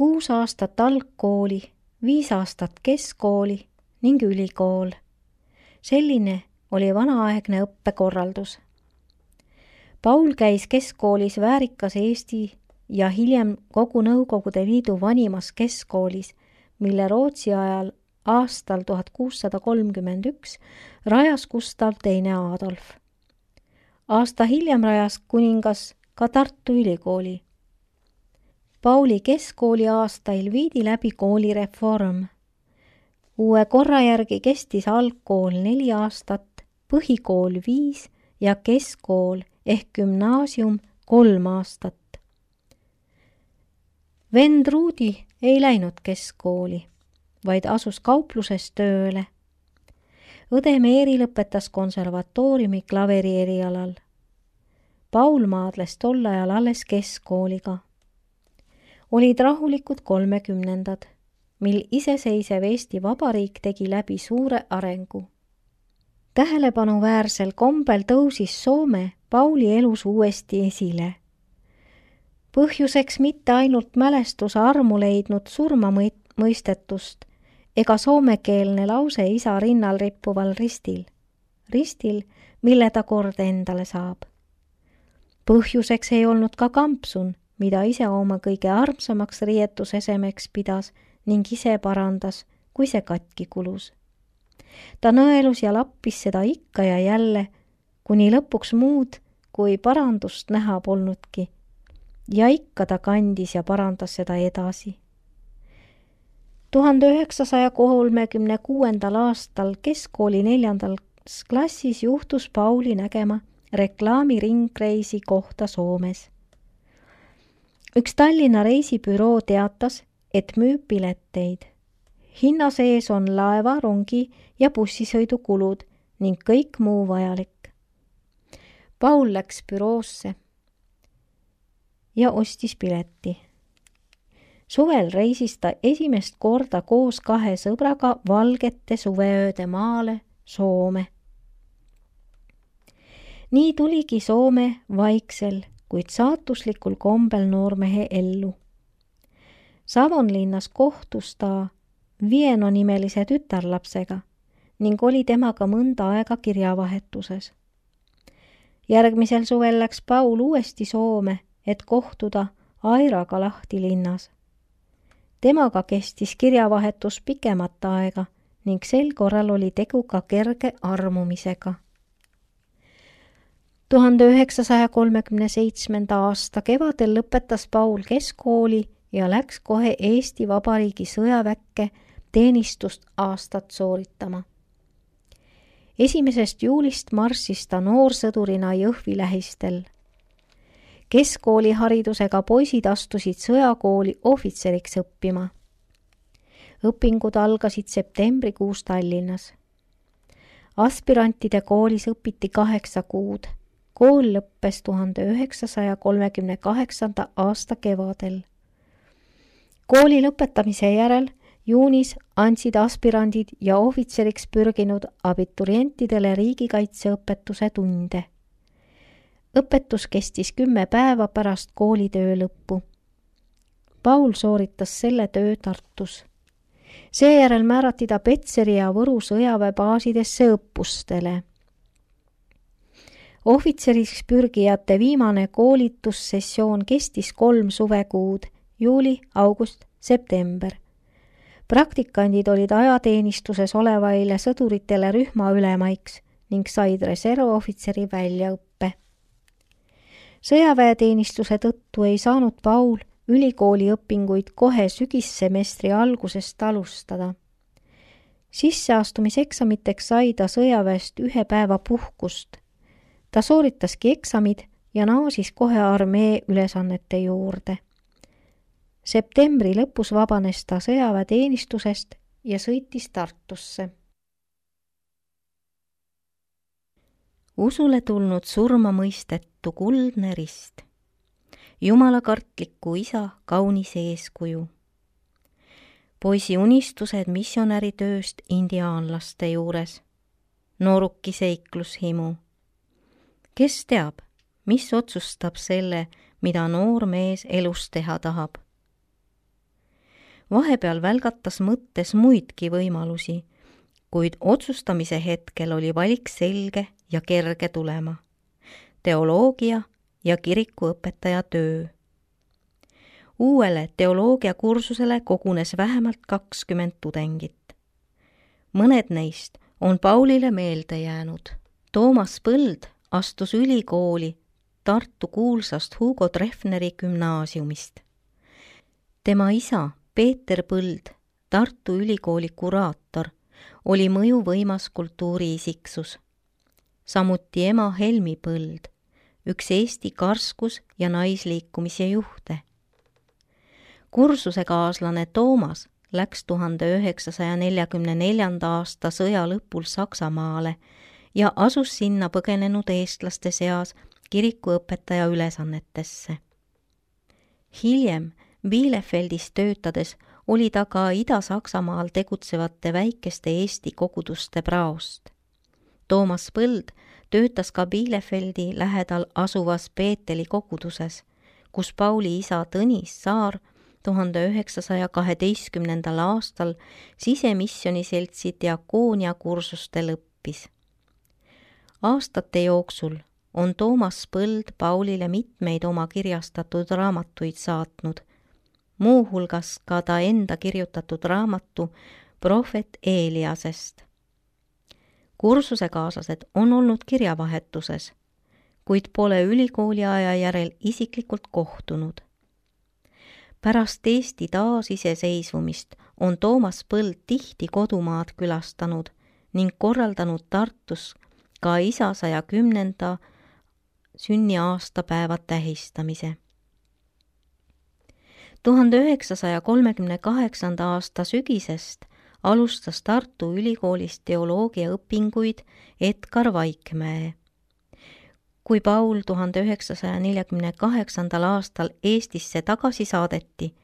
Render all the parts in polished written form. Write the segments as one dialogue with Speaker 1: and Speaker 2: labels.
Speaker 1: 6 aastat algkooli, 5 aastat keskkooli ning ülikool. Selline oli vanaaegne õppekorraldus. Paul käis keskkoolis väärikas Eesti ja hiljem kogu Nõukogude Liidu vanimas keskkoolis, mille Rootsi ajal aastal 1631 rajas Gustav II Adolf. Aasta hiljem rajas kuningas ka Tartu Ülikooli. Pauli keskkooli aastail viidi läbi koolireform. Uue korra järgi kestis algkool 4 aastat, põhikool 5 ja keskkool ehk gümnaasium 3 aastat. Vend Ruudi ei läinud keskkooli, vaid asus kaupluses tööle. Õde Meeri lõpetas konservatooriumi klaveri erialal. Paul maadles tol ajal alles keskkooliga. Olid rahulikud 30ndad, mil iseseisev Eesti Vabariik tegi läbi suure arengu. Tähelepanu-väärsel kombel tõusis Soome Pauli elus uuesti esile. Põhjuseks mitte ainult mälestuse armu leidnud surmamõistetust ega soomekeelne lause isa rinnal rippuval ristil, mille ta kord endale saab. Põhjuseks ei olnud ka kampsun, mida ise oma kõige armsamaks riietusesemeks pidas ning ise parandas, kui see katki kulus. Ta nõelus ja lappis seda ikka ja jälle, kuni lõpuks muud kui parandust näha polnudki. Ja ikka ta kandis ja parandas seda edasi. 1936. aastal keskkooli 4. klassis juhtus Pauli nägema reklaamiringreisi kohta Soomes. Üks Tallinna reisibüroo teatas, et müüb pileteid. Hinna sees on laeva, rongi ja bussisõidukulud ning kõik muu vajalik. Paul läks büroosse ja ostis pileti. Suvel reisis ta esimest korda koos 2 sõbraga valgete suveööde maale Soome. Nii tuligi Soome vaiksel, kuid saatuslikul kombel noormehe ellu. Savonlinnas kohtus ta Vieno nimelise tütarlapsega ning oli temaga mõnda aega kirjavahetuses. Järgmisel suvel läks Paul uuesti Soome, et kohtuda Airaga Lahti linnas. Temaga kestis kirjavahetus pikemat aega ning sel korral oli tegu ka kerge armumisega. 1937. aasta kevadel lõpetas Paul keskkooli ja läks kohe Eesti Vabariigi sõjaväkke teenistust aastat sooritama. 1. juulist marssis ta noorsõdurina Jõhvi lähistel. Keskkooliharidusega poisid astusid sõjakooli ohvitseriks õppima. Õpingud algasid septembrikuus Tallinnas. Aspirantide koolis õpiti 8 kuud. Kool lõppes 1938. aasta kevadel. Kooli lõpetamise järel juunis andsid aspirandid ja ohvitseriks pürginud abiturientidele riigikaitseõpetuse tunde. Õpetus kestis 10 päeva pärast koolitöö lõppu. Paul sooritas selle töö Tartus. Seejärel määrati ta Petseri ja Võru sõjaväebaasidesse õppustele. Ohvitseriks pürgijate viimane koolitussessioon kestis 3 suvekuud, juuli, august, september. Praktikandid olid ajateenistuses olevaile sõduritele rühma ülemaiks ning said reservohvitseri väljaõppe. Sõjaväeteenistuse tõttu ei saanud Paul ülikooli õpinguid kohe sügissemestri algusest alustada. Sisseastumiseksamiteks sai ta sõjaväest 1 päeva puhkust. Ta sooritaski eksamid ja naasis kohe armee ülesannete juurde. Septembri lõpus vabanes ta sõjaväeteenistusest ja sõitis Tartusse. Usule tulnud surmamõistetu kuldne rist. Jumalakartliku isa kaunis eeskuju. Poisi unistused missionäritööst indiaanlaste juures. Nooruki seiklushimu. Kes teab, mis otsustab selle, mida noor mees elus teha tahab? Vahepeal välgatas mõttes muidki võimalusi, kuid otsustamise hetkel oli valik selge ja kerge tulema. Teoloogia ja kirikuõpetaja töö. Uuele teoloogiakursusele kogunes vähemalt 20 tudengit. Mõned neist on Paulile meelde jäänud. Toomas Põld astus ülikooli Tartu kuulsast Hugo Treffneri gümnaasiumist. Tema isa Peeter Põld, Tartu ülikooli kuraator, oli mõjuvõimas kultuuriisiksus. Samuti ema Helmi Põld, üks Eesti karskus- ja naisliikumise juhte. Kursusekaaslane Toomas läks 1944. aasta sõja lõpul Saksamaale ja asus sinna põgenenud eestlaste seas kirikuõpetaja ülesannetesse. Hiljem Bielefeldis töötades oli ta ka Ida-Saksamaal tegutsevate väikeste Eesti koguduste praost. Toomas Põld töötas ka Bielefeldi lähedal asuvas Peeteli koguduses, kus Pauli isa Tõnis Saar 1912. aastal sisemisjoniseltsi diakoonia kursustel õppis. Aastate jooksul on Toomas Põld Paulile mitmeid oma kirjastatud raamatuid saatnud, muuhulgas ka ta enda kirjutatud raamatu Prohvet Eeliasest. Kursusekaaslased on olnud kirjavahetuses, kuid pole ülikooli aja järel isiklikult kohtunud. Pärast Eesti taasiseseisvumist on Toomas Põld tihti kodumaad külastanud ning korraldanud Tartus ka isa 110. sünniaastapäeva tähistamise. 1938. aasta sügisest alustas Tartu Ülikoolis teoloogiaõpinguid Edgar Vaikmäe. Kui Paul 1948. aastal Eestisse tagasi saadeti,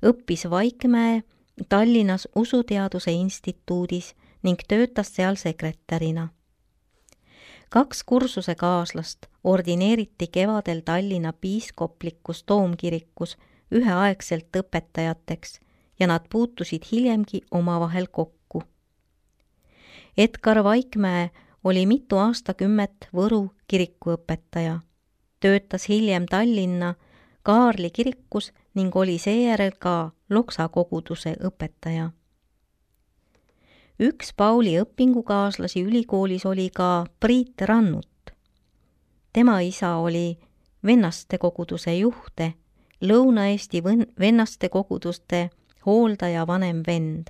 Speaker 1: õppis Vaikmäe Tallinnas Usuteaduse instituudis ning töötas seal sekretärina. 2 kursusekaaslast ordineeriti kevadel Tallinna piiskoplikus toomkirikus üheaegselt õpetajateks ja nad puutusid hiljemgi omavahel kokku. Edgar Vaikmäe oli mitu aastakümmet Võru kirikuõpetaja, töötas hiljem Tallinna Kaarli kirikus ning oli seejärel ka Loksa koguduse õpetaja. Üks Pauli õpingukaaslasi ülikoolis oli ka Priit Rannut. Tema isa oli vennaste koguduse juhte, Lõuna-Eesti vennaste koguduste hooldaja vanem vend.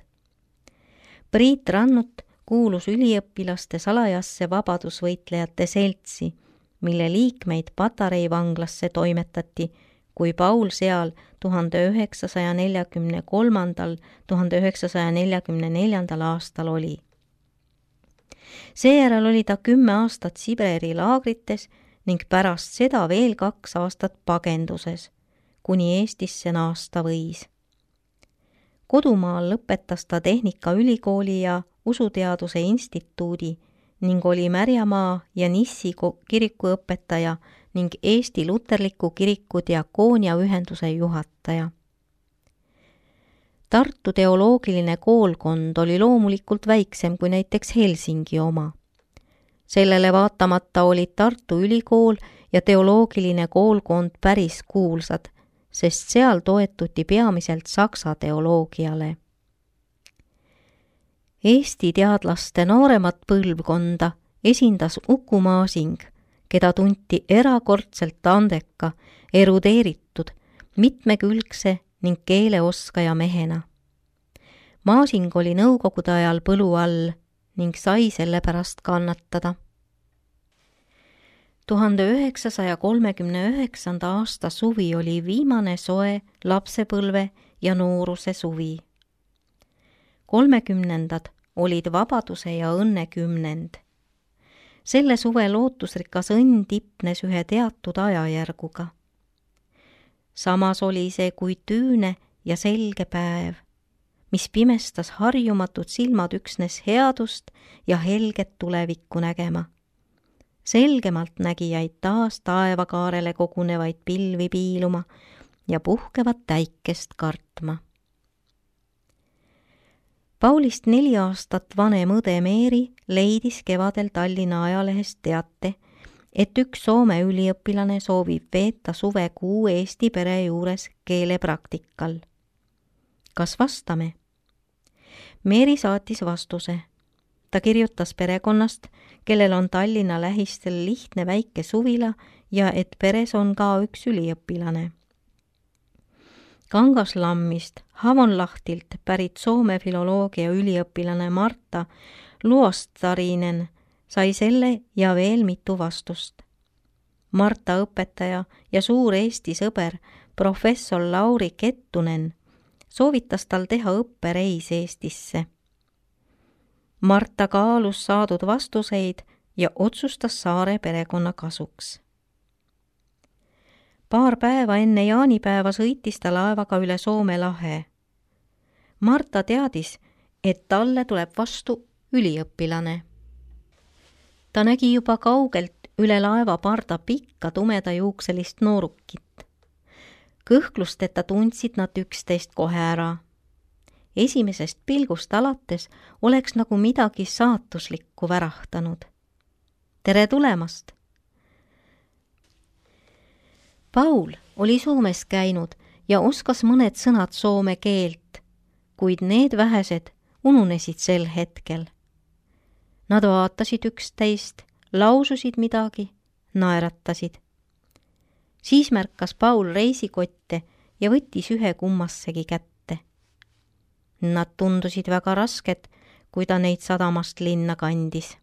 Speaker 1: Priit Rannut kuulus üliõpilaste salajasse vabadusvõitlejate seltsi, mille liikmeid Patarei vanglasse toimetati, kui Paul seal 1943.–1944. aastal oli. Seejärel oli ta 10 aastat Siberi laagrites ning pärast seda veel 2 aastat pagenduses, kuni Eestisse naasta võis. Kodumaal lõpetas ta Tehnikaülikooli ja Usuteaduse instituudi ning oli Märjamaa ja Nissi kirikuõpetaja ning Eesti Luterliku kiriku diakoonia ühenduse juhataja. Tartu teoloogiline koolkond oli loomulikult väiksem kui näiteks Helsingi oma. Sellele vaatamata olid Tartu Ülikool ja teoloogiline koolkond päris kuulsad, sest seal toetuti peamiselt saksa teoloogiale. Eesti teadlaste nooremat põlvkonda esindas Uku Masing, keda tunti erakordselt andeka, erudeeritud, mitmekülgse ning keeleoskaja mehena. Masing oli nõukogude ajal põlu all ning sai selle pärast kannatada. 1939. aasta suvi oli viimane soe lapsepõlve ja nooruse suvi. 30. olid vabaduse ja õnne kümnend. Selle suve lootusrikas õnn tipnes ühe teatud ajajärguga. Samas oli see kui tüüne ja selge päev, mis pimestas harjumatud silmad üksnes headust ja helget tulevikku nägema. Selgemalt nägijaid taas taevakaarele kogunevaid pilvi piiluma ja puhkevat täikest kartma. Paulist 4 aastat vanem õde Meeri leidis kevadel Tallinna ajalehest teate, et üks Soome üliõpilane soovib veeta suvekuu Eesti pere juures keelepraktikal. Kas vastame? Meeri saatis vastuse. Ta kirjutas perekonnast, kellel on Tallinna lähistel lihtne väike suvila ja et peres on ka üks üliõpilane. Kangaslammist Havonlahtilt pärit Soome filoloogia üliõpilane Marta Luostarinen sai selle ja veel mitu vastust. Marta õpetaja ja suur Eesti sõber professor Lauri Kettunen soovitas tal teha õppereis Eestisse. Marta kaalus saadud vastuseid ja otsustas Saare perekonna kasuks. Paar päeva enne jaanipäeva sõitis ta laevaga üle Soome lahe. Marta teadis, et talle tuleb vastu üliõpilane. Ta nägi juba kaugelt üle laeva parda pikka tumedajuukselist noorukit. Kõhklusteta tundsid nad üksteist kohe ära. Esimesest pilgust alates oleks nagu midagi saatuslikku värahtanud. Tere tulemast! Paul oli Soomes käinud ja oskas mõned sõnad soome keelt, kuid need vähesed ununesid sel hetkel. Nad vaatasid üksteist, laususid midagi, naeratasid. Siis märkas Paul reisikotte ja võttis ühe kummassegi kätte. Nad tundusid väga rasked, kui ta neid sadamast linna kandis.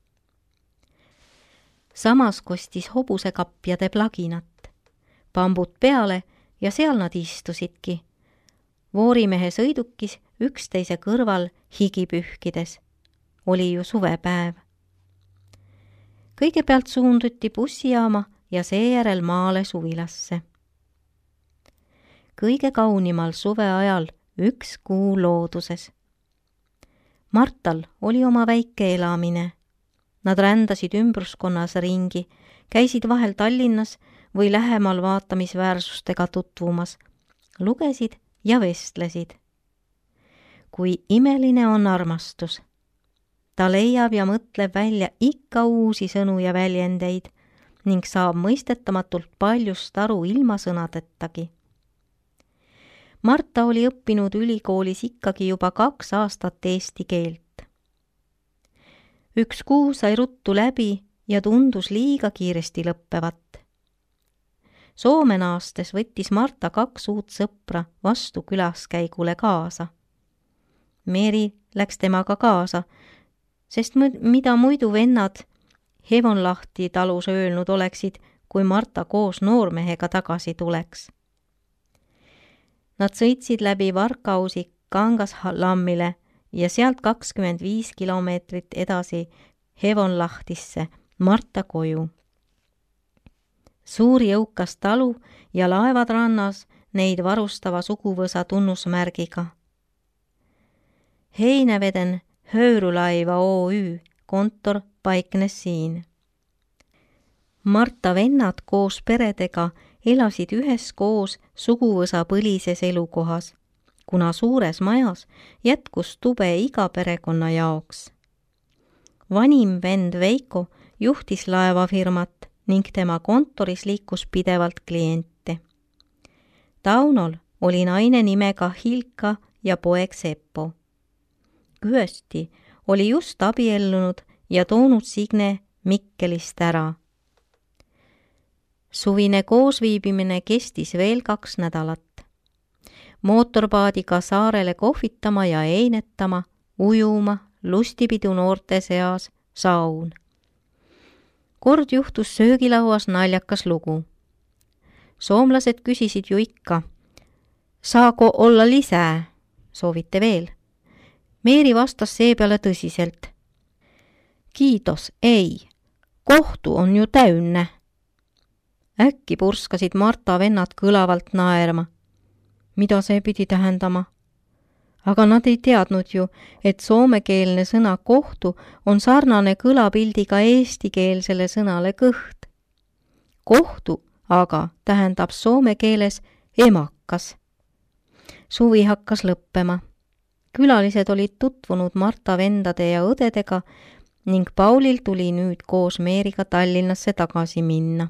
Speaker 1: Samas kostis hobusekapjade plaginat. Pambud peale ja seal nad istusidki. Voorimehe sõidukis üksteise kõrval higi pühkides. Oli ju suvepäev. Kõigepealt suunduti bussijaama ja seejärel maale suvilasse. Kõige kaunimal suveajal üks kuu looduses. Martal oli oma väike elamine. Nad rändasid ümbruskonnas ringi, käisid vahel Tallinnas või lähemal vaatamisväärsustega tutvumas, lugesid ja vestlesid. Kui imeline on armastus. Ta leiab ja mõtleb välja ikka uusi sõnu ja väljendeid ning saab mõistetamatult paljust aru ilma sõnadettagi. Marta oli õppinud ülikoolis ikkagi juba 2 aastat eesti keelt. Üks kuu sai ruttu läbi ja tundus liiga kiiresti lõppevat. Soome naastes võttis Marta 2 uut sõpra vastu külaskäigule kaasa. Meeri läks temaga kaasa, sest mida muidu vennad Havonlahti talus öelnud oleksid, kui Marta koos noormehega tagasi tuleks. Nad sõitsid läbi Varkausi Kangaslammile ja sealt 25 kilomeetrit edasi Havonlahtisse Marta koju. Suur jõukas talu ja laevad rannas neid varustava suguvõsa tunnusmärgiga. Heinäveden Höyrylaiva Oy kontor paiknes siin. Marta vennad koos peredega elasid üheskoos suguvõsa põlises elukohas, kuna suures majas jätkus tube iga perekonna jaoks. Vanim vend Veiko juhtis laevafirmat ning tema kontoris liikus pidevalt kliente. Taunol oli naine nimega Hilka ja poeg Seppo. Küösti oli just abiellunud ja toonud Signe Mikkelist ära. Suvine koosviibimine kestis veel 2 nädalat. Mootorpaadiga saarele kohvitama ja einetama, ujuma, lustipidu noorte seas, saun. Kord juhtus söögilauas naljakas lugu. Soomlased küsisid ju ikka, saako olla lisää, soovite veel? Meeri vastas seepeale tõsiselt. Kiitos, ei, kohtu on ju täynnä. Äkki purskasid Marta vennad kõlavalt naerma. Mida see pidi tähendama? Aga nad ei teadnud ju, et soomekeelne sõna kohtu on sarnane kõlapildiga eestikeelsele sõnale kõht. Kohtu aga tähendab soome keeles emakas. Suvi hakkas lõppema. Külalised olid tutvunud Marta vendade ja õdedega ning Paulil tuli nüüd koos Meeriga Tallinnasse tagasi minna.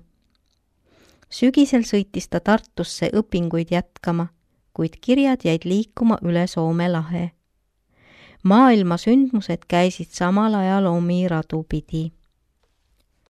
Speaker 1: Sügisel sõitis ta Tartusse õpinguid jätkama, kuid kirjad jäid liikuma üle Soome lahe. Maailma sündmused käisid samal ajal omi radu pidi.